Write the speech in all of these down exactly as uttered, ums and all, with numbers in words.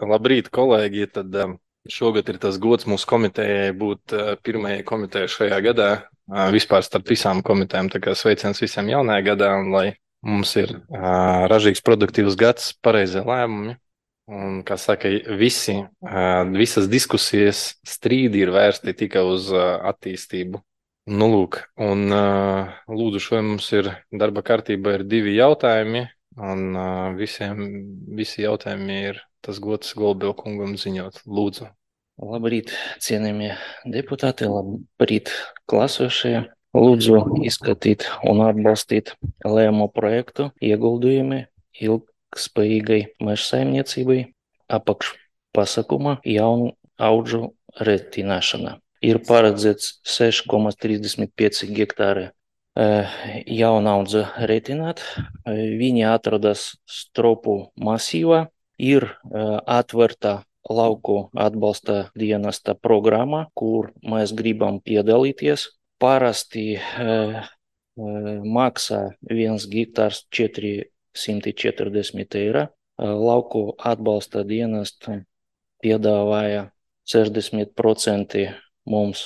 Labrīt, kolēģi. Tad um, šogad ir tas gods mūsu komitejai būt uh, pirmajai komitejai šajā gadā. Uh, vispār starp visām komitejām. Tā kā sveiciens visiem jaunajā gadā, un lai mums ir uh, ražīgs, produktīvs gads, pareizie lēmumi. Un, kā saka, visi, uh, visas diskusijas, strīdi ir vērsti tikai uz uh, attīstību. Nu, lūk, un uh, lūdzu, šodien mums ir darba kārtībā ir divi jautājumi, un uh, visiem, visi jautājumi ir tas gods Golubila kungam ziņot. Lūdzu. Labrīt, cienījamie deputāti, labrīt, klasošie. Lūdzu izskatīt un atbalstīt lēmumu projektu ieguldījumi ilgspējīgai mežsaimniecībai apakšpasākumā jaunu audžu retināšana. Ir paredzēts seši komats trīsdesmit pieci hektāri jaunaudžu retināt. Viņi atrodas Stropu masīvā, ir atvērta lauku atbalsta dienesta programma, kur mēs gribam piedalīties. Parasti uh, maksā viens hektārs četri simti četrdesmit eiro. Uh, lauku atbalsta dienesta piedāvāja sešdesmit procenti mums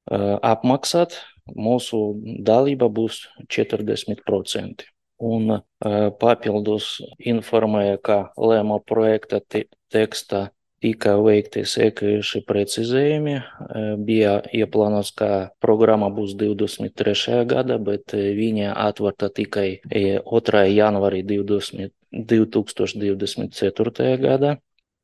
uh, apmaksāt. Mūsu dalība būs četrdesmit procenti. Un uh, papildus informēja, ka lēmuma projekta te teksta tika veikti sekojuši precizējumi. Bija ieplānots, ka programma būs divdesmit trešajā gada, bet viņa atvērta tikai otrajā janvārī divi tūkstoši divdesmit ceturtajā gadā.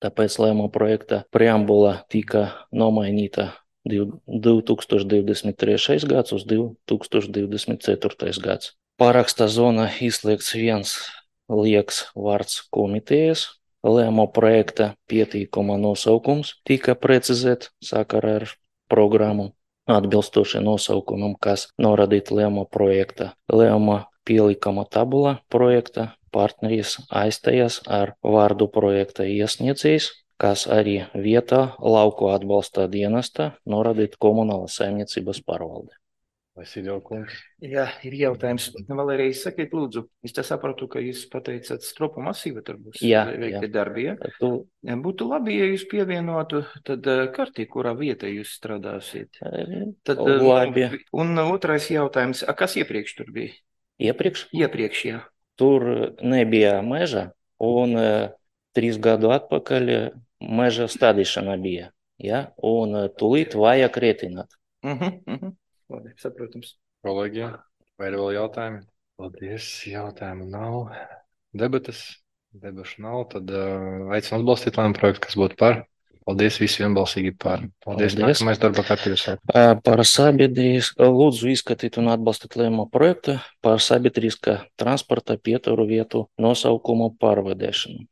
Tāpēc lēmuma projekta preambula tika nomainīta divi tūkstoši divdesmit trešais gads uz divi tūkstoši divdesmit ceturtais gads. Paraksta zona izslēgts viens liekas vārds komitejas. Lēmuma projekta pieteikuma nosaukums tika precizēts sakarā ar programmu atbilstoši nosaukumam, kas norādīt lēmuma projekta. Lēmuma pielikuma tabula projekta partneris aizstājas ar vārdu projekta iesniedzējs, kas arī vietā lauku atbalsta dienesta norādīt komunālas saimniecības pārvalde. Jā, ir jautājums. Valērija, sakiet, lūdzu, es tā sapratu, ka jūs pateicāt Stropu masīva, tur būs jā, veikti jā. darbi, ja? Tu... Būtu labi, ja jūs pievienotu tad kartī, kurā vietā jūs strādāsiet. Tad, labi. Un otrais jautājums, a, kas iepriekš tur bija? Iepriekš? Iepriekš, jā. Tur nebija meža, un trīs gadu atpakaļ meža stādīšana bija, ja? Un tūlīt vajag retināt. Uh -huh, uh -huh. Labi, saprotams. Kolēģi, vai ir vēl jautājumi? Paldies, jautājumu nav. Debates, debašu nav, tad uh, aicinu atbalstīt lēmumu projektu, kas būtu par. Paldies, visi vienbalsīgi par. Paldies, Paldies. Nākamais darba kārtības. Par sabiedrības, lūdzu izskatīt un atbalstīt lēmumu projektu par sabiedriskā transporta pieturu vietu nosaukumu pārvadēšanu.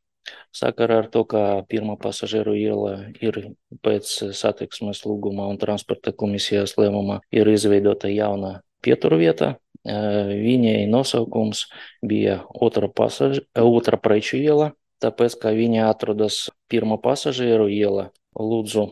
Sakarā ar to, ka pirmā pasažieru iela ir pēc satiksmes lūguma un transporta komisijas lēmuma ir izveidota jauna pieturvieta. Viņai nosaukums bija otra, pasaž... otra preču iela, tāpēc, ka viņa atrodas pirmā pasažieru iela. Lūdzu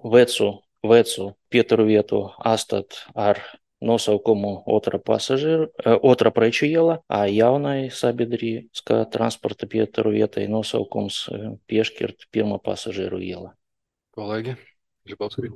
vecu, vecu pieturvietu atstāt ar nosaukumu otra pasažieru, otra preču iela, a jaunai sabiedriskā transporta pieturu vietai nosaukums piešķirt pirmā pasažieru iela. Kolēģi, Žibovski.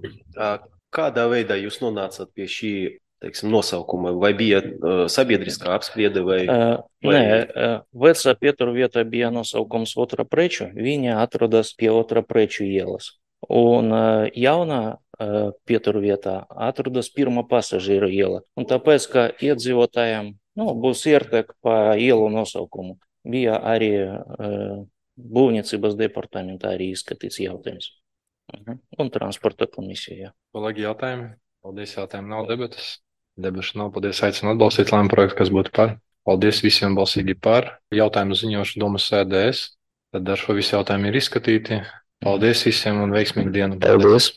Kādā veidā jūs nonācāt pie šī, teiksim, nosaukuma? Vai bija uh, sabiedriskā apspriede vai? Uh, vai... Nē, uh, vecā pieturu vieta bija nosaukums otra preču, viņa atrodas pie otra preču ielas. Un uh, jaunā uh, pieturu vietā atrodas pirmā pasažieru iela. Un tāpēc, ka iedzīvotājiem nu, būs ērtāk pa ielu nosaukumu, bija arī uh, būvniecības departamentā arī izskatīts jautājums. Uh-huh. Un transporta komisija. Kolēģi, jautājumi? Paldies, jautājumi nav, debatas. Debašu nav, paldies, aicinu atbalstīt lēmumu projektu, kas būtu par. Paldies visiem balsīgi par. Jautājumu ziņošu domas sēdēs. Tad ar šo visu jautājumu ir izskatīti. Paldies visiem un veiksmīgu dienu. Paldies.